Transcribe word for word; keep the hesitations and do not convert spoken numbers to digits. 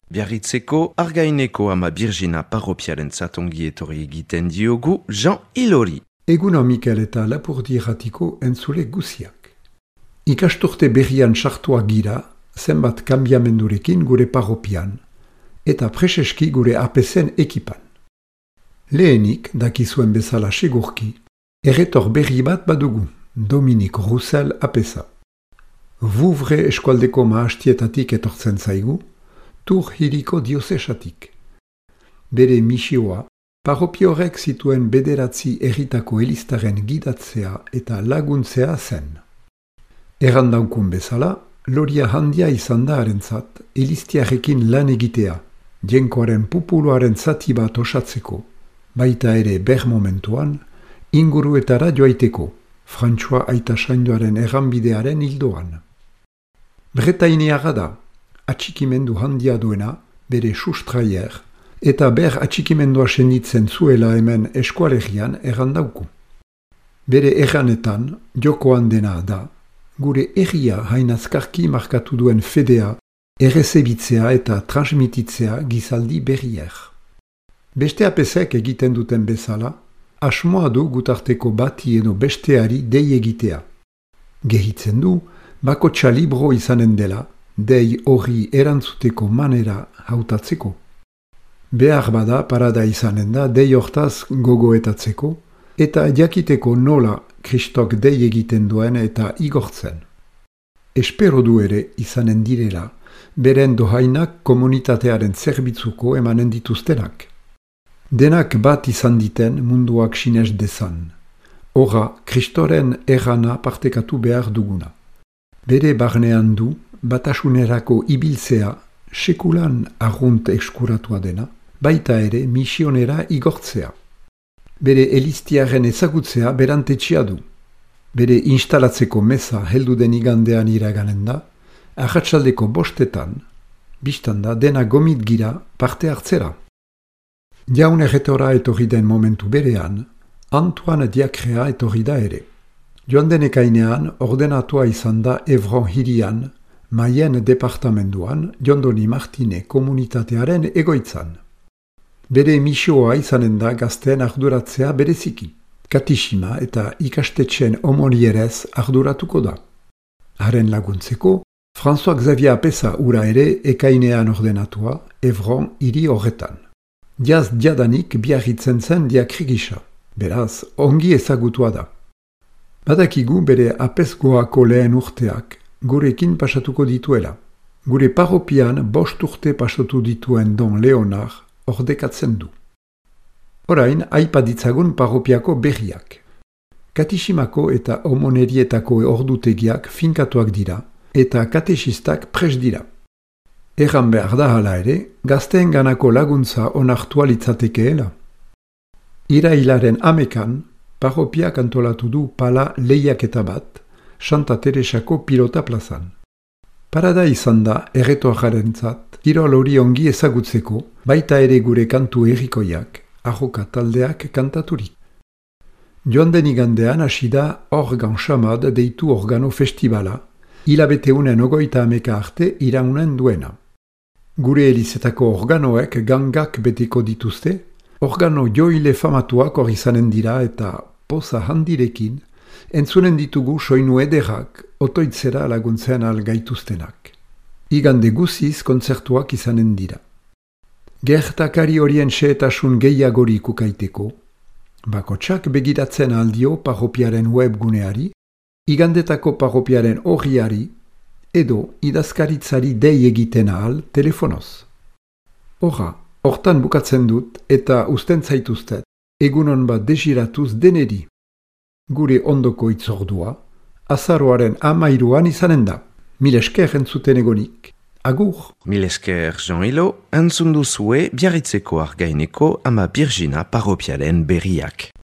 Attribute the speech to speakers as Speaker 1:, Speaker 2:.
Speaker 1: Biarritzeko Argaineko ama Birgina parropiaren zatongi etorri egiten diogu Jean Ilori.
Speaker 2: Eguna Mikel eta Lapurdi erratiko entzule guziak. Ikasturte berrian sartua gira, zenbat kanbiamendurekin gure parropian, eta preseski gure A P C-en ekipan. Lehenik, dakizuen bezala segurki, erretor berri bat badugu, Dominik Roussel apesa. Vouvre eskualdeko maastietatik etortzen zaigu, Tur hiriko diosesatik. Bere misioa, parropiorek zituen bederatzi erritako elistaren gidatzea eta laguntzea zen. Errandaukun bezala, loria handia izan da harentzat, elistiarekin lan egitea, jenkoaren pupuluaren zati bat osatzeko, baita ere ber momentuan, inguruetara joaiteko, Frantsua Aita Saindoaren erranbidearen hildoan. Bretainiara da, atxikimendu handia duena, bere sustraier, eta ber atxikimendua senditzen zuela hemen eskualerian errandauku. Bere erranetan, jokoan dena da, gure erria hainazkarki markatu duen fedea, errezebitzea eta transmititzea gizaldi berrier. Beste apesek egiten duten bezala, asmoa du gutarteko bati edo besteari dei egitea. Gehitzen du, bakotxa libro izanen dela, dei horri erantzuteko manera hautatzeko. Behar bada parada izanen da dei hortaz gogoetatzeko, eta jakiteko nola Kristok dei egiten duen eta igortzen. Espero du ere izanen direla, beren dohainak komunitatearen zerbitzuko emanen dituztenak. Denak bat izan diten munduak sinez dezan. Horra, Kristoren errana partekatu behar duguna. Bere barnean du, batasunerako ibiltzea, sekulan arrunt eskuratua dena, baita ere misionera igortzea. Bere elistiaren ezagutzea berantetxia du. Bere instalatzeko meza heldu den igandean iraganen da, arratsaldeko bostetan, biztanda dena gomit gira parte hartzera. Jaun erretora etorri den momentu berean, Antoine Diakrea etorri da ere. Joan den ekainean ordenatua izan da Evron hirian, Maien departamenduan, Jondoni Martine komunitatearen egoitzan. Bere misioa izanen da gazteen arduratzea bereziki. Katixima eta ikastetxen omonierez arduratuko da. Haren laguntzeko, François Xavier Apesa ura ere ekainean ordenatua Evron hiri horretan. Jaz jadanik biarritzen zen diakrigisa, beraz, ongi ezagutua da. Badakigu bere apesgoako lehen urteak gurekin pasatuko dituela. Gure parropian bost urte pasatu dituen Don Leonard ordekatzen du. Orain, aipa ditzagun parropiako berriak. Katiximako eta omonerietako ordutegiak finkatuak dira, eta katexistak pres dira. Erran behar da hala ere, gazteen ganako laguntza onartua litzatekeela. Irailaren amekan, parropiak antolatu du pala lehiaketa bat, Santa Teresako pilota plazan. Parada izan da, erretoajarentzat, kirol hori ongi ezagutzeko, baita ere gure kantu errikoiak, arroka taldeak kantaturik. Joan den igandean hasi da Organ Xamad deitu organo festivala, hilabeteunen ogoita ameka arte iraunen duena. Gure elizetako organoek gangak beteko dituzte, organo joile famatuak hor izanen dira eta poza handirekin, entzunen ditugu soinu ederrak otoitzera laguntzean algaituztenak. Igande guziz kontzertuak izanen dira. Gertakari horien xehetasun gehiagorik ukaiteko, bakotsak begiratzen aldio parropiaren webguneari, igandetako parropiaren horriari, edo idazkaritzari dei egiten ahal telefonoz. Horra, hortan bukatzen dut eta usten zaituztet, egunon bat desiratuz deneri. Gure ondoko itzordua, azaroaren amairuan izanen da. Mil esker entzuten egonik. Agur!
Speaker 1: Mil esker Jean Ilo, entzun duzue Biarritzeko Argaineko ama Birgina parropiaren berriak.